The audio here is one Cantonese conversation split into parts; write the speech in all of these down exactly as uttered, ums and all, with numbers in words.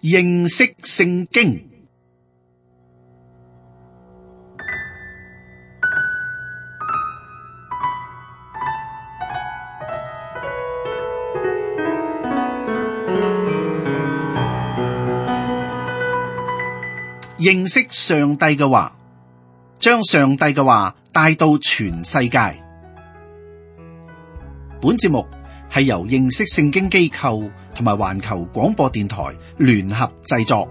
認識聖經。認識上帝嘅話，將上帝嘅話帶到全世界。本節目係由認識聖經機構同埋環球廣播電台聯合製作。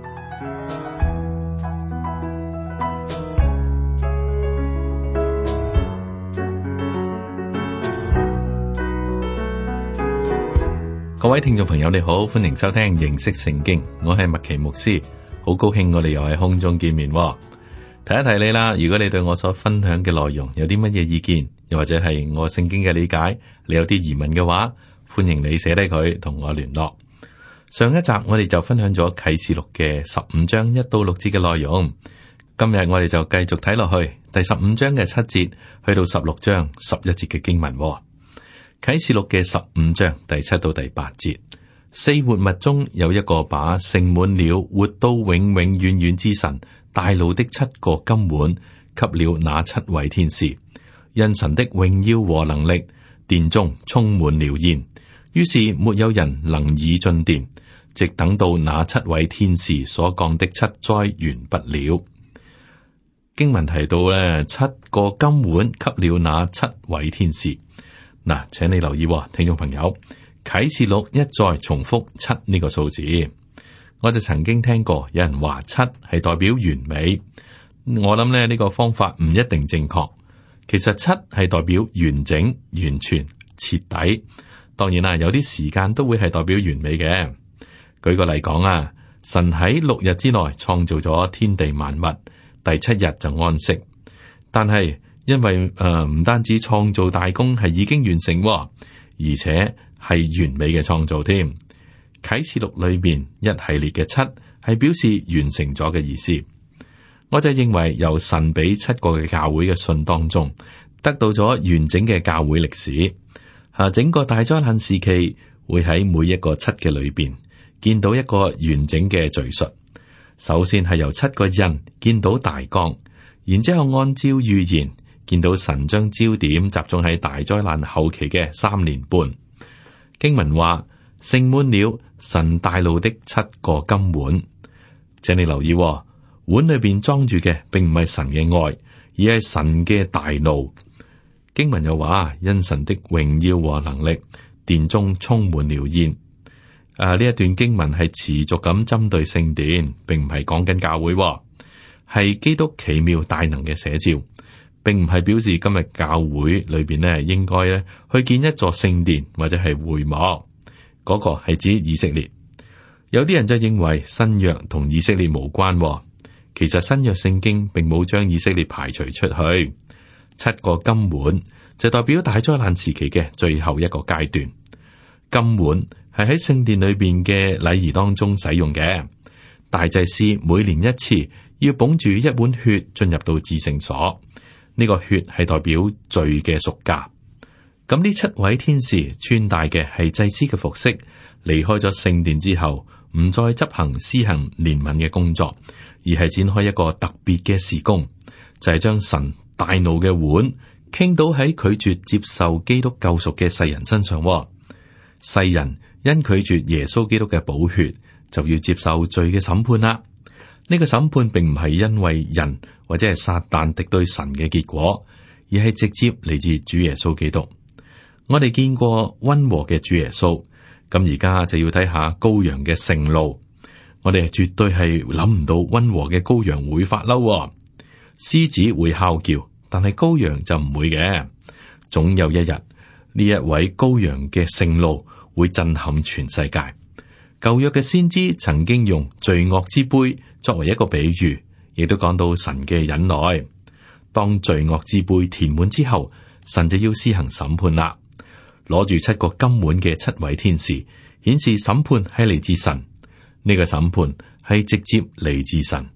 各位聽眾朋友，你好，歡迎收聽認識聖經，我係麥奇牧師，好高興我哋又喺空中見面。提一提你啦，如果你對我所分享嘅內容有啲乜嘢意見，又或者係我聖經嘅理解，你有啲疑問嘅話，歡迎你寫低佢同我聯絡。上一集我哋就分享咗啟示錄嘅十五章一到六節嘅內容，今日我哋就繼續睇落去第十五章嘅七節去到十六章十一節嘅經文。啟示錄嘅十五章第七到第八節，四活物中有一個把盛滿了活到永永遠遠之神大怒的七個金碗給了那七位天使，因神的榮耀和能力，殿中充滿了煙，於是沒有人能以進殿，直等到那七位天使所降的七災完畢了。經文提到咧，七個金碗給了那七位天使。嗱，請你留意，聽眾朋友，啟示錄一再重複七呢個數字。我就曾經聽過有人話七係代表完美，我諗咧呢個方法唔一定正確。其實七係代表完整、完全、徹底。當然啦，有啲時間都會係代表完美嘅。舉個例講啊，神喺六日之內創造咗天地萬物，第七日就安息。但係因為誒唔單止創造大功係已經完成，而且係完美嘅創造添。啟示錄裏邊一系列嘅七係表示完成咗嘅意思。我就認為由神俾七個嘅教會嘅信當中，得到咗完整嘅教會歷史。啊，整個大災難時期會喺每一個七嘅裏邊見到一個完整嘅敘述。首先係由七個人見到大綱，然之後按照預言見到神將焦點集中喺大災難後期嘅三年半。經文話盛滿了神大怒的七個金碗，請你留意，碗裏邊裝住嘅並唔係神嘅愛，而係神嘅大怒。經文又話，因神的榮耀和能力，殿中充滿了煙。啊，呢一段經文係持續咁針對聖殿，並唔係講緊教會，係基督奇妙大能嘅寫照，並唔係表示今日教會裏邊呢應該咧去建一座聖殿或者係會幕。嗰個係指以色列。有啲人就認為新約同以色列無關，其實新約聖經並冇將以色列排除出去。七個金碗就代表大災難時期嘅最後一個階段。金碗係喺聖殿裏邊嘅禮儀當中使用嘅。大祭司每年一次要捧住一碗血進入到至聖所，呢個血係代表罪嘅贖價。咁呢七位天使穿戴嘅係祭司嘅服飾，離開咗聖殿之後，唔再執行施行憐憫嘅工作，而係展開一個特別嘅事工，就係、是、將神大怒嘅碗傾倒喺拒絕接受基督救贖嘅世人身上。世人因拒絕耶穌基督嘅寶血，就要接受罪嘅審判啦。呢、這個審判並唔係因為人或者係撒旦敵對神嘅結果，而係直接嚟自主耶穌基督。我哋見過溫和嘅主耶穌，咁而家就要睇下羔羊嘅盛怒。我哋絕對係諗唔到溫和嘅羔羊會發嬲，獅子會哮叫，但係羔羊就唔會嘅。總有一日，呢一位羔羊嘅盛怒會震撼全世界。舊約嘅先知曾經用罪惡之杯作為一個比喻，亦都講到神嘅忍耐。當罪惡之杯填滿之後，神就要施行審判啦。攞住七個金碗嘅七位天使，顯示審判係嚟自神。呢個審判係直接嚟自神。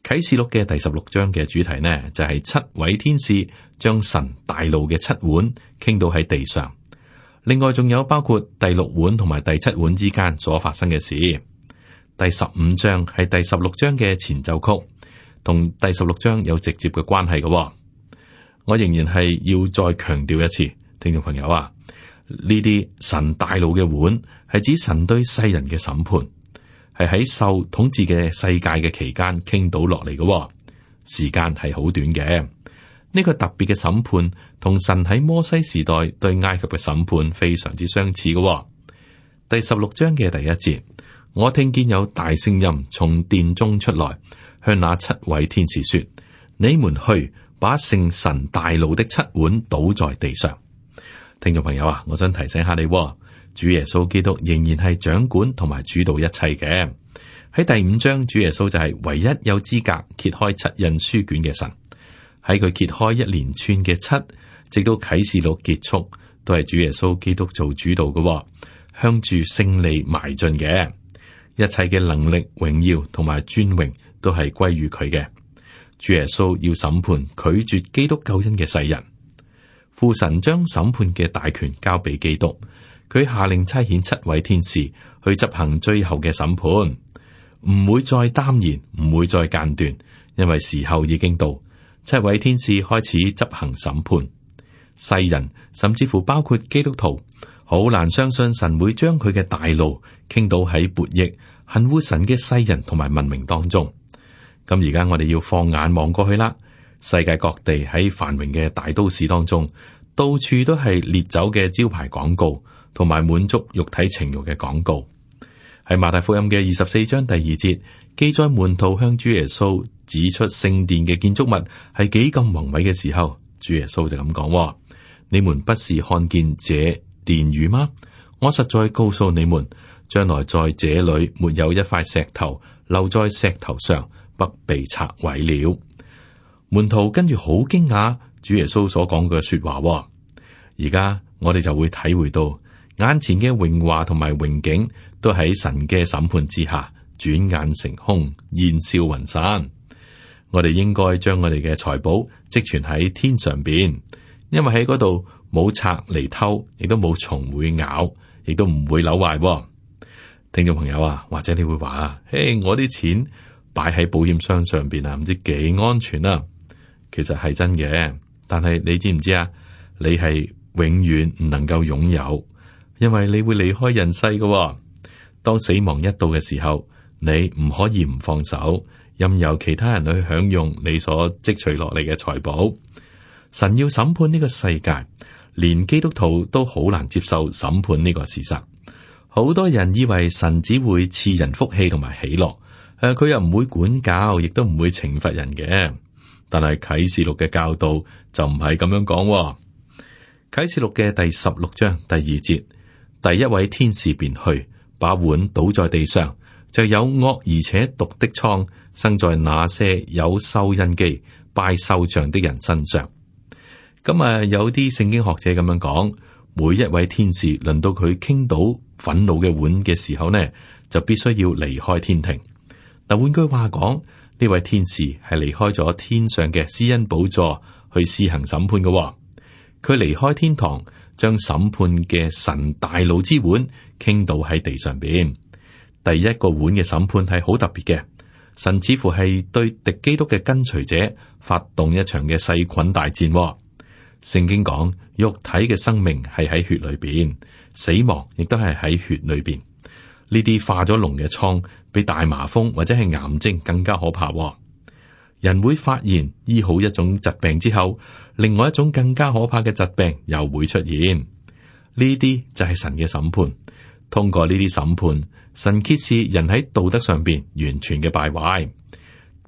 啟示錄嘅第十六章嘅主題呢，就係七位天使將神大怒嘅七碗傾倒喺地上。另外仲有包括第六碗同埋第七碗之間所發生嘅事。第十五章係第十六章嘅前奏曲，同第十六章有直接嘅關係嘅。我仍然係要再強調一次，聽眾朋友啊，呢啲神大怒嘅碗係指神對世人嘅審判，係喺受統治嘅世界嘅期間傾倒落嚟嘅，時間係好短嘅。呢、這個特別嘅審判同神喺摩西時代對埃及嘅審判非常之相似嘅。第十六章嘅第一節，我聽見有大聲音從殿中出來，向那七位天使說：你們去把聖神大怒的七碗倒在地上。聽眾朋友啊，我想提醒下你，主耶穌基督仍然係掌管同埋主導一切嘅。喺第五章，主耶穌就係唯一有資格揭開七印書卷嘅神。喺佢揭開一連串嘅七，直到啟示錄結束，都係主耶穌基督做主導嘅，向住勝利邁進嘅。一切嘅能力、榮耀同埋尊榮都係歸於佢嘅。主耶穌要審判拒絕基督救恩嘅世人。父神將審判嘅大權交俾基督，佢下令差遣七位天使去執行最後嘅審判，唔會再耽延，唔會再間斷，因為時候已經到。七位天使開始執行審判。世人甚至乎包括基督徒，好難相信神會將佢嘅大怒傾倒喺悖逆、恨惡神嘅世人同埋文明當中。咁而家我哋要放眼望過去啦，世界各地喺繁榮嘅大都市當中，到處都係烈酒嘅招牌廣告，同埋滿足肉體情慾嘅廣告。喺馬太福音嘅二十四章第二節，記載門徒向主耶穌指出聖殿嘅建築物係幾咁宏偉嘅時候，主耶穌就咁講：你們不是看見這殿宇嗎？我實在告訴你們，將來在這裏沒有一塊石頭留在石頭上不被拆毀了。門徒跟住好驚訝主耶穌所講嘅說話。而家我哋就會體會到眼前嘅榮華同埋榮景都喺神嘅審判之下轉眼成空，煙消雲散。我哋應該將我哋嘅財寶積存喺天上邊，因為喺嗰度冇賊嚟偷，亦都冇蟲會咬，亦都唔會朽壞。聽眾朋友啊，或者你會話啊，嘿，我啲錢擺喺保險箱上邊啊，唔知幾安全啊。其實係真嘅，但係你知唔知啊？你係永遠唔能夠擁有，因為你會離開人世嘅。當死亡一到嘅時候，你唔可以唔放手，任由其他人去享用你所積取落嚟嘅財寶。神要審判呢個世界，連基督徒都好難接受審判呢個事實。好多人以為神只會賜人福氣同埋喜樂，誒，佢又唔會管教，亦都唔會懲罰人嘅。但係啟示錄嘅教導就唔係咁樣講。啟示錄嘅第十六章第二節，第一位天使便去，把碗倒在地上，就有惡而且毒的瘡生在那些有獸印記拜獸像的人身上。咁啊，有啲聖經學者咁樣講，每一位天使輪到佢傾倒憤怒嘅碗嘅時候呢，就必須要離開天庭。但換句話講，呢位天使係離開咗天上嘅施恩寶座去施行審判嘅。佢離開天堂，將審判嘅神大怒之碗傾倒喺地上邊。第一個碗嘅審判係好特別嘅，神似乎係對敵基督嘅跟隨者發動一場嘅細菌大戰。聖經講，肉體嘅生命係喺血裏邊，死亡亦都係喺血裏邊。呢啲化咗膿嘅瘡，比大麻風或者係癌症更加可怕。人會發現醫好一種疾病之後，另外一種更加可怕嘅疾病又會出現。呢啲就係神嘅審判。通過呢啲審判，神揭示人喺道德上邊完全嘅敗壞。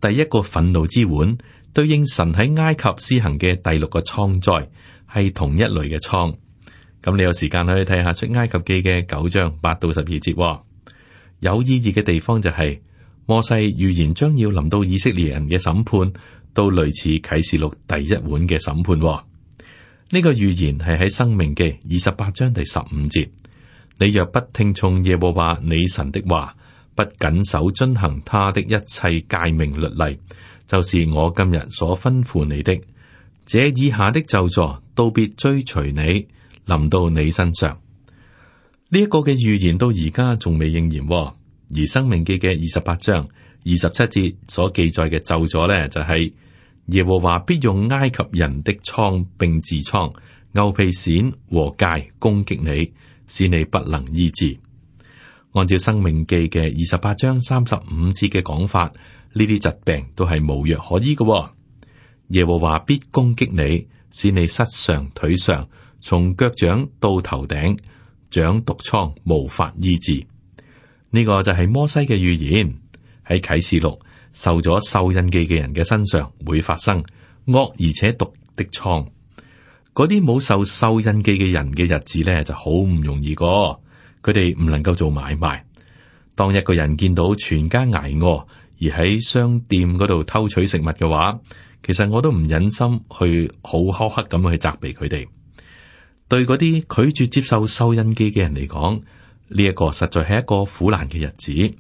第一個憤怒之碗，對應神喺埃及施行嘅第六個瘡災，係同一類嘅瘡。咁你有時間可以睇下出埃及記嘅九章八到十二節。有意義嘅地方就係、是、摩西預言將要臨到以色列人嘅審判，都類似啟示錄第一碗嘅審判。呢、這個預言係喺申命記二十八章第十五節。你若不聽從耶和華你神的話，不謹守遵行他的一切誡命律例，就是我今日所吩咐你的，這以下的咒詛都必追隨你，臨到你身上。呢、這、一個嘅預言到而家仲未應驗。而申命記嘅二十八章二十七節所記載嘅咒詛呢，就係、是、耶和華必用埃及人的瘡並痔瘡、牛皮癬和疥攻擊你，使你不能醫治。按照申命記嘅二十八章三十五節嘅講法，呢啲疾病都係無藥可醫嘅、哦。耶和華必攻擊你，使你膝上腿上，從腳掌到頭頂長毒瘡，無法醫治。呢、這個就係摩西嘅預言，喺啟示錄受咗獸印記嘅人嘅身上會發生惡而且毒的瘡。嗰啲冇受獸印記嘅人嘅日子咧就好唔容易過，佢哋唔能夠做買賣。當一個人見到全家挨餓而喺商店嗰度偷取食物嘅話，其實我都唔忍心去好苛刻咁去責備佢哋。對嗰啲拒絕接受獸印記嘅人嚟講，呢一個實在係一個苦難嘅日子。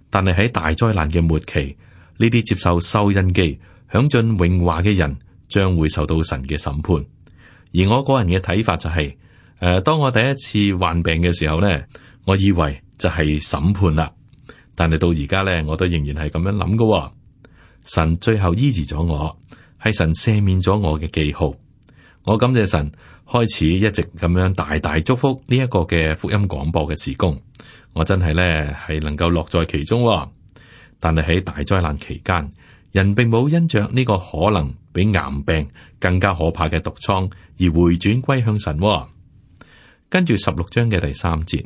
但係喺大災難嘅末期，呢啲接受獸印記、享盡榮華嘅人，將會受到神嘅審判。而我個人嘅睇法就係、是，誒、呃，當我第一次患病嘅時候咧，我以為就係審判啦。但係到而家咧，我都仍然係咁樣諗嘅。神最後醫治咗我，係神赦免咗我嘅記號。我感謝神，開始一直咁樣大大祝福呢一個嘅福音廣播嘅事工。我真係咧係能夠樂在其中。但係喺大災難期間，人並冇因着呢個可能比癌病更加可怕嘅毒瘡而回轉歸向神。跟住十六章嘅第三節，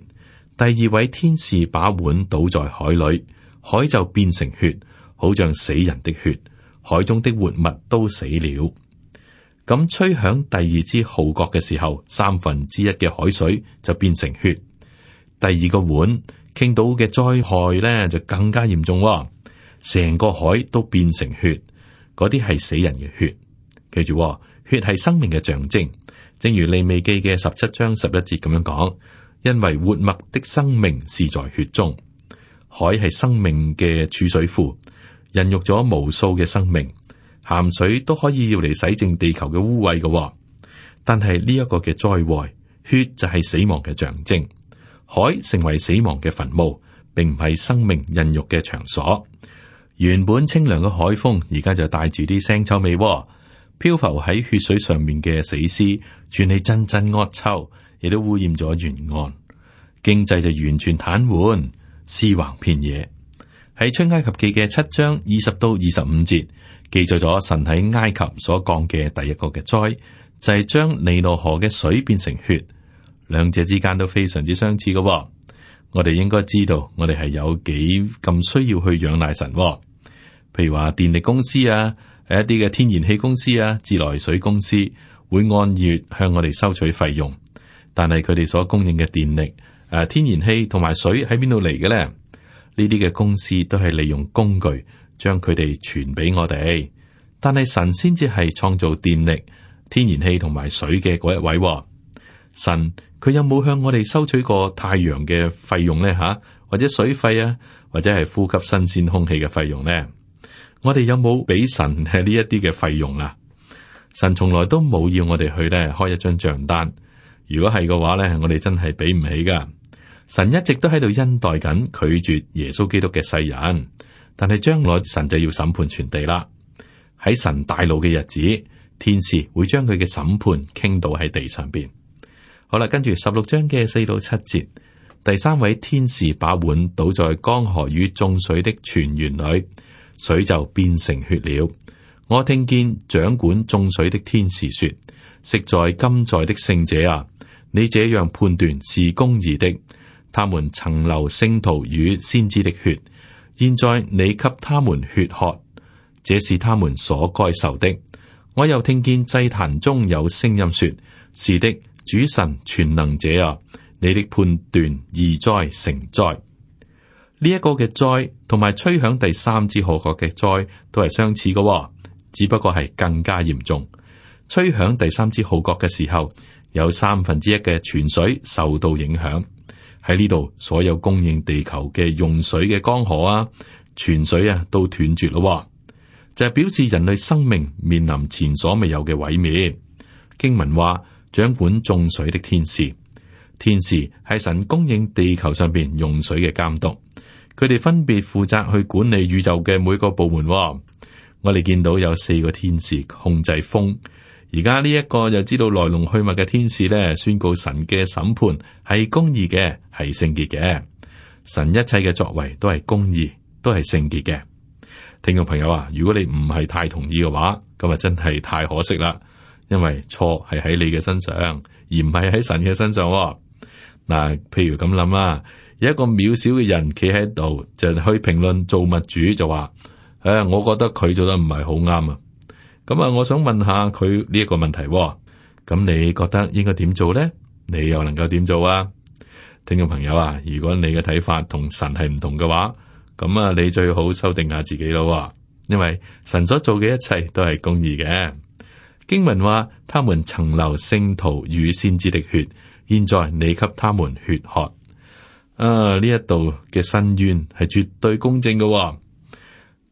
第二位天使把碗倒在海裏，海就變成血，好像死人的血，海中的活物都死了。咁吹響第二支號角嘅時候，三分之一嘅海水就變成血。第二個碗傾倒嘅災害咧就更加嚴重，成個海都變成血，嗰啲係死人嘅血。記住，血係生命嘅象徵，正如利未記嘅十七章十一節咁樣講，因為活物的生命是在血中。海係生命嘅儲水庫，孕育咗無數嘅生命，鹹水都可以要嚟洗淨地球嘅污穢嘅。但係呢一個嘅災禍，血就係死亡嘅象徵，海成為死亡嘅墳墓，並唔係生命孕育嘅場所。原本清涼嘅海風，而家就帶住啲腥臭味，漂浮喺血水上面嘅死屍，傳起陣陣惡臭，亦都污染咗沿岸，經濟就完全癱瘓，屍橫遍野。喺出埃及記嘅七章二十到二十五節，記載咗神喺埃及所降嘅第一個嘅災，就係將尼羅河嘅水變成血。兩者之間都非常之相似嘅。我哋應該知道，我哋係有幾咁需要去仰賴神。譬如話電力公司啊，誒一啲嘅天然氣公司啊，自來水公司會按月向我哋收取費用，但係佢哋所供應嘅電力誒，天然氣同埋水喺邊度嚟嘅咧？呢啲嘅公司都係利用工具將佢哋傳俾我哋，但係神先至係創造電力、天然氣同埋水嘅嗰一位。神佢有冇向我哋收取過太陽嘅費用咧？吓，或者水費啊，或者係呼吸新鮮空氣嘅費用咧？我哋有冇俾神係呢一啲嘅費用啊？神從來都冇要我哋去咧開一張賬單。如果係嘅話咧，我哋真係俾唔起噶。神一直都喺度恩待緊拒絕耶穌基督嘅世人，但係將來神就要審判全地啦。喺神大怒嘅日子，天使會將佢嘅審判傾倒喺地上邊。好啦，跟住十六章嘅四到七節，第三位天使把碗倒在江河與眾水的泉源裏，水就變成血了。我聽見掌管眾水的天使說：昔在今在的聖者啊，你這樣判斷是公義的。他們曾流聖徒與先知的血，現在你給他們血喝，這是他們所該受的。我又聽見祭壇中有聲音說：是的，主神全能者啊，你的判斷義哉誠哉。呢一個嘅災同埋吹響第三支號角嘅災都係相似嘅，只不過係更加嚴重。吹響第三支號角嘅時候，有三分之一嘅泉水受到影響。喺呢度，所有供應地球嘅用水嘅江河啊、泉水啊，都斷絕咯，就係表示人類生命面臨前所未有嘅毀滅。經文話，掌管眾水的天使，天使係神供應地球上邊用水嘅監督，佢哋分別負責去管理宇宙嘅每個部門。我哋見到有四個天使控制風，而家呢一個就知道來龍去脈嘅天使咧，宣告神嘅審判係公義嘅，係聖潔嘅。神一切嘅作為都係公義，都係聖潔嘅。聽眾朋友啊，如果你唔係太同意嘅話，咁啊真係太可惜啦，因為錯係喺你嘅身上，而唔係喺神嘅身上。嗱，譬如咁諗啦，有一個渺小嘅人企喺度，就去評論造物主，就話：誒、啊，我覺得佢做得唔係好啱啊。咁啊，我想問下佢呢一個問題，咁你覺得應該點做咧？你又能夠點做啊？聽眾朋友啊，如果你嘅睇法同神係唔同嘅話，咁啊，你最好修訂下自己咯，因為神所做嘅一切都係公義嘅。經文話，他們曾流聖徒與先知的血，現在你給他們血喝。啊，呢一度嘅申冤係絕對公正嘅，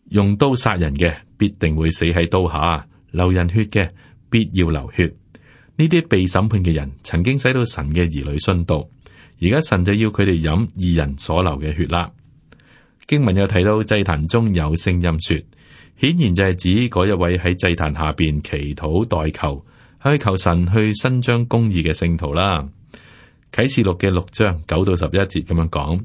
用刀殺人嘅必定會死喺刀下，流人血嘅必要流血。呢啲被審判嘅人曾經使到神嘅兒女殉道，而家神就要佢哋飲義人所流嘅血啦。經文又提到祭壇中有聲音說，顯然就係指嗰一位喺祭壇下邊祈禱代求，去求神去伸張公義嘅聖徒啦。啟示錄嘅六章九到十一節咁樣講，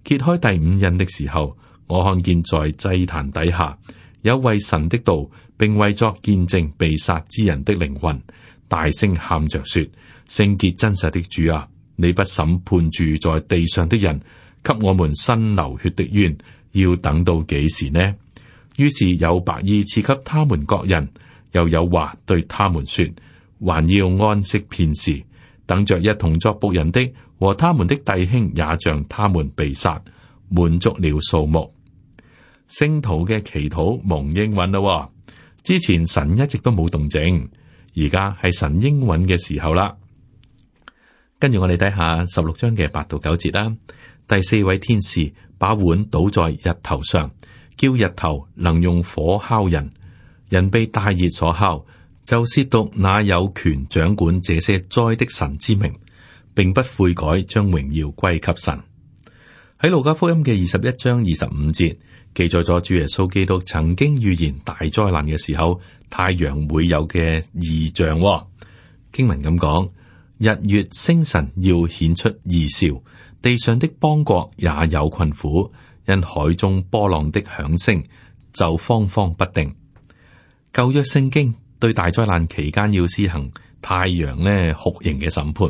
揭開第五印的時候，我看見在祭壇底下有為神的道，並為作見證被殺之人的靈魂，大聲喊着說：聖潔真實的主啊，你不審判住在地上的人，給我們伸流血的冤，要等到幾時呢？於是有白衣賜給他們各人，又有話對他們說：還要安息片時，等着一同作僕人的和他們的弟兄也像他們被殺，滿足了數目。聖徒嘅祈禱蒙應允咯。之前神一直都冇動靜，而家係神應允嘅時候啦。跟住我哋睇下十六章嘅八到九節啦。第四位天使把碗倒在日頭上，叫日頭能用火烤人，人被大熱所烤，就褻瀆那有權掌管這些災的神之名，並不悔改，將榮耀歸給神。喺路加福音嘅二十一章二十五節記載咗主耶穌基督曾經預言大災難嘅時候，太陽會有嘅異象。經文咁講，日月星辰要顯出異兆，地上的邦國也有困苦，因海中波浪的響聲就慌慌不定。舊約聖經對大災難期間要施行太陽呢酷刑嘅審判。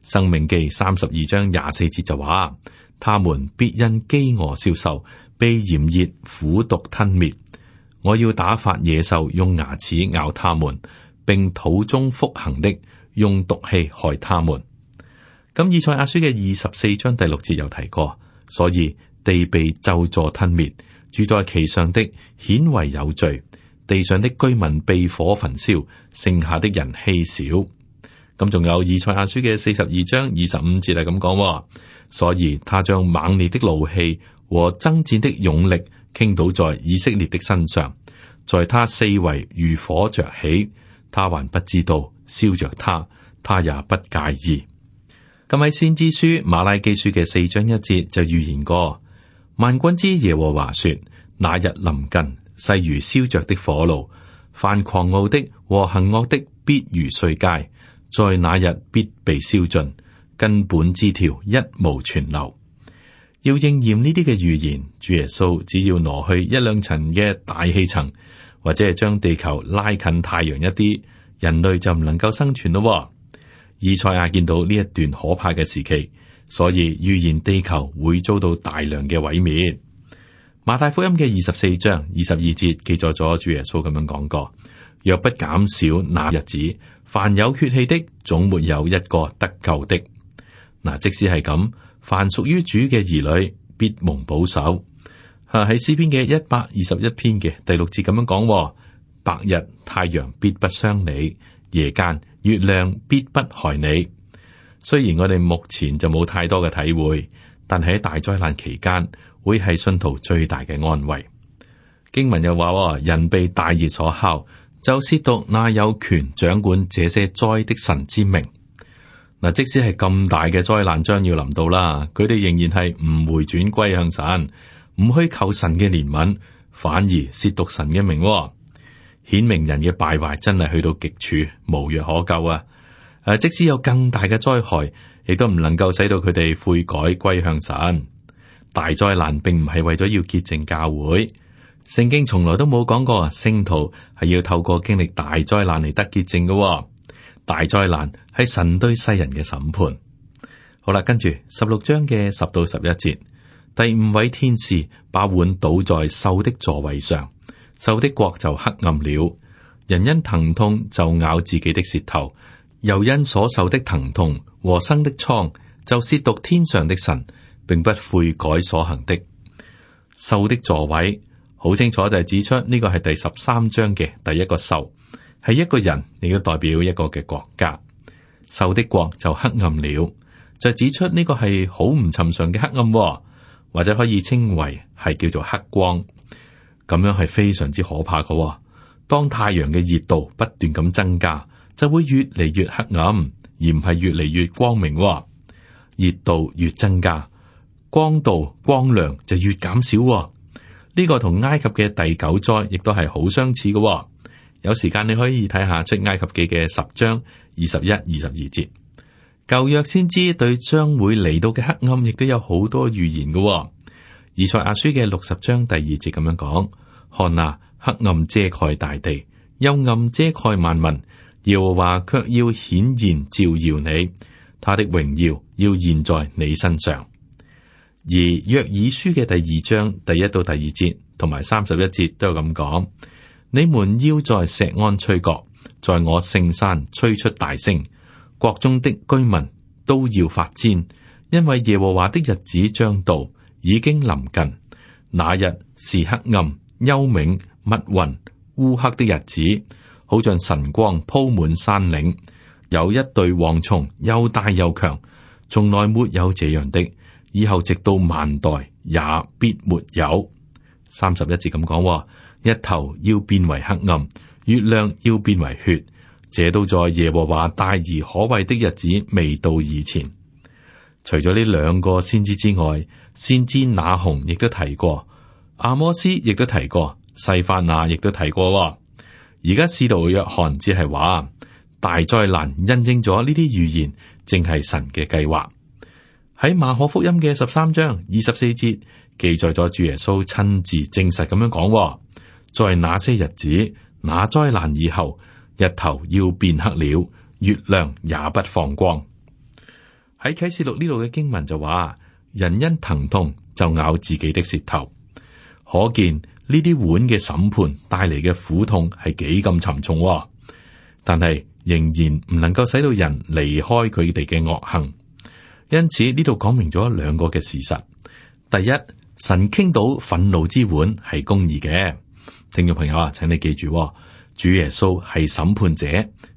申命記三十二章廿四節就話，他們必因飢餓消瘦，被炎熱苦毒吞滅。我要打發野獸用牙齒咬他們，並土中腹行的用毒氣害他們。咁以賽亞書嘅二十四章第六節有提過，所以地被咒詛吞滅，住在其上的顯為有罪，地上的居民被火焚燒，剩下的人稀少。咁仲有以賽亞書嘅四十二章二十五節係咁講，所以他將猛烈的怒氣和爭戰的勇力傾倒在以色列的身上，在他四圍如火着起，他還不知道燒着他，他也不介意。咁喺先知書馬拉基書嘅四章一節就預言過，萬軍之耶和華說：那日臨近，勢如燒着的火爐，凡狂傲的和行惡的必如碎秸，在那日必被燒盡，根本枝條一無存留。要應驗呢啲嘅預言，主耶穌只要挪去一兩層嘅大氣層，或者係將地球拉近太陽一啲，人類就唔能夠生存咯。以賽亞見到呢一段可怕嘅時期，所以預言地球會遭到大量嘅毀滅。馬太福音嘅二十四章二十二節記載咗主耶穌咁樣講過：若不減少那日子，凡有血氣的總沒有一個得救的。嗱，即使係咁，凡屬於主嘅兒女必蒙保守。吓，喺詩篇嘅一百二十一篇嘅第六節咁樣講：白日太陽必不傷你，夜間月亮必不害你。雖然我哋目前就冇太多嘅體會，但係喺大災難期間會係信徒最大嘅安慰。經文又話：人被大熱所烤，就褻瀆那有權掌管這些災的神之名。嗱，即使係咁大嘅災難將要臨到啦，佢哋仍然係唔回轉歸向神，唔去求神嘅憐憫，反而褻瀆神嘅名，顯明人嘅敗壞真係去到極處，無藥可救啊！誒，即使有更大嘅災害，亦都唔能夠使到佢哋悔改歸向神。大災難並唔係為咗要潔淨教會，聖經從來都冇講過聖徒係要透過經歷大災難嚟得潔淨嘅。大災難係神對世人嘅審判。好啦，跟住十六章嘅十到十一節，第五位天使把碗倒在獸的座位上，獸的國就黑暗了。人因疼痛就咬自己的舌頭，又因所受的疼痛和生的瘡就褻瀆天上的神，並不悔改所行的。獸的座位好清楚就係指出呢個係第十三章嘅第一個獸，係一個人，亦都代表一個嘅國家。獸的國就黑暗了，就指出呢個係好唔尋常嘅黑暗，或者可以稱為係叫做黑光。咁樣係非常之可怕嘅。當太陽嘅熱度不斷咁增加，就會越嚟越黑暗，而唔係越嚟越光明。熱度越增加，光度光亮就越減少。呢個同埃及嘅第九災亦都係好相似嘅。有時間你可以睇下出埃及記嘅十章二十一、二十二節。舊約先知對將會嚟到嘅黑暗亦都有好多預言嘅。以賽亞書嘅六十章第二節咁樣講：看啊，黑暗遮蓋大地，幽暗遮蓋萬民，耶和華卻要顯現照耀你，他的榮耀要現在你身上。而約珥書嘅第二章第一到第二節同埋三十一節都有咁講：你們要在錫安吹角，在我聖山吹出大聲，國中的居民都要發顫，因為耶和華的日子將到，已經臨近。那日是黑暗、幽冥、密雲、烏黑的日子，好像晨光鋪滿山嶺。有一對蝗蟲，又大又強，從來沒有這樣的，以後直到萬代也必沒有。三十一節咁講：日頭要變為黑暗，月亮要變為血，這都在耶和華大而可畏的日子未到以前。除咗呢兩個先知之外，先知那鴻亦都提過，阿摩斯亦都提過，西番雅亦都提過。而家使徒約翰只係話大災難印證咗呢啲預言，正係神嘅計劃。喺馬可福音嘅十三章二十四節記載咗主耶穌親自證實咁樣講：在那些日子，那災難以後，日頭要變黑了，月亮也不放光。喺啟示錄呢度嘅經文就話：人因疼痛就咬自己的舌頭，可見呢啲碗嘅審判帶嚟嘅苦痛係幾咁沉重。但係仍然唔能夠使到人離開佢哋嘅惡行。因此呢度講明咗兩個嘅事實：第一，神傾倒憤怒之碗係公義嘅。聽眾朋友啊，請你記住，主耶穌係審判者，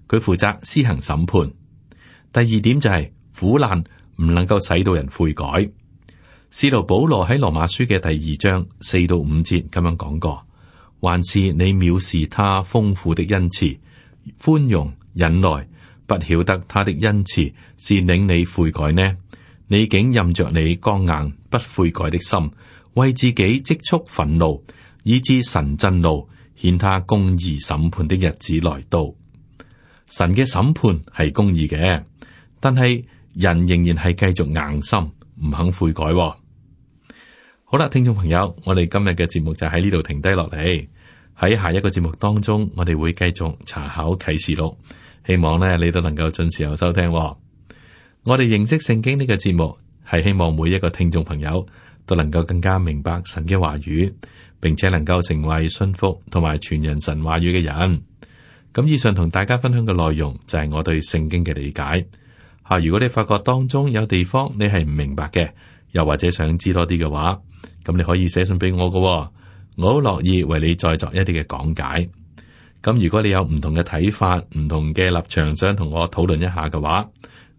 佢負責施行審判。第二點就係、是、苦難唔能夠使到人悔改。使徒保羅喺羅馬書嘅第二章四到五節咁樣講過：還是你藐視他豐富的恩慈、寬容、忍耐，不曉得他的恩慈是領你悔改呢？你竟任着你剛硬不悔改的心，為自己積蓄憤怒，以致神震怒，顯他公義審判的日子來到。神嘅審判係公義嘅，但係人仍然係繼續硬心，唔肯悔改。好啦，聽眾朋友，我哋今日嘅節目就喺呢度停低落嚟。喺下一個節目當中，我哋會繼續查考啟示錄，希望呢你都能夠準時有收聽。我哋認識聖經呢個節目，係希望每一個聽眾朋友都能夠更加明白神嘅話語，並且能夠成為信服同埋傳人神話語嘅人。咁以上同大家分享嘅內容就係我對聖經嘅理解。吓，如果你發覺當中有地方你係唔明白嘅，又或者想知多啲嘅話，咁你可以寫信俾我嘅，我好樂意為你再作一啲嘅講解。咁如果你有唔同嘅睇法、唔同嘅立場，想同我討論一下嘅話，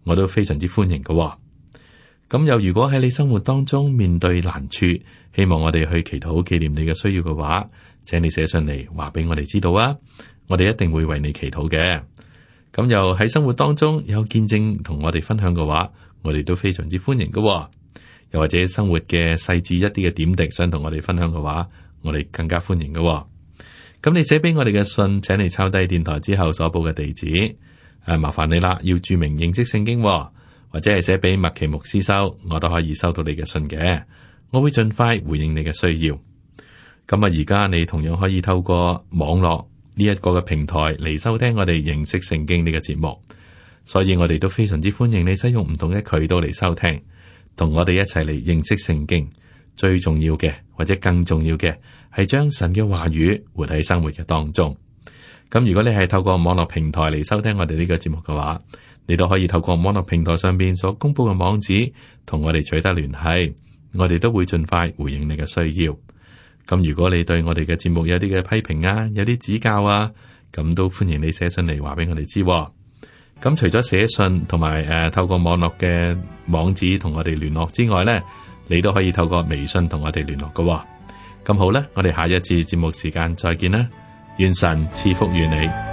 我都非常之歡迎嘅。咁又如果喺你生活當中面對難處，希望我哋去祈禱紀念你嘅需要嘅話，請你寫信嚟話俾我哋知道啊！我哋一定會為你祈禱嘅。咁又喺生活當中有見證同我哋分享嘅話，我哋都非常之歡迎嘅。又或者生活嘅細緻一啲嘅點滴，想同我哋分享嘅話，我哋更加歡迎嘅、哦。咁你寫俾我哋嘅信，請你抄低電台之後所報嘅地址。誒、啊，麻煩你啦，要注明認識聖經、哦，或者係寫俾麥奇牧師收，我都可以收到你嘅信嘅。我會盡快回應你嘅需要。咁啊，而家你同樣可以透過網絡呢一個嘅平台嚟收聽我哋認識聖經呢個節目，所以我哋都非常之歡迎你使用唔同嘅渠道嚟收聽，同我哋一齊嚟認識聖經。最重要嘅，或者更重要嘅，係將神嘅話語活喺生活嘅當中。咁如果你係透過網絡平台嚟收聽我哋呢個節目嘅話，你都可以透過網絡平台上邊所公布嘅網址同我哋取得聯繫，我哋都會盡快回應你嘅需要。咁如果你對我哋嘅節目有啲嘅批評啊，有啲指教啊，咁都歡迎你寫信嚟話俾我哋知。咁除咗寫信同埋誒透過網絡嘅網址同我哋聯絡之外呢，你都可以透過微信同我哋聯絡㗎。咁好啦，我哋下一次節目時間再見啦，願神賜福於你。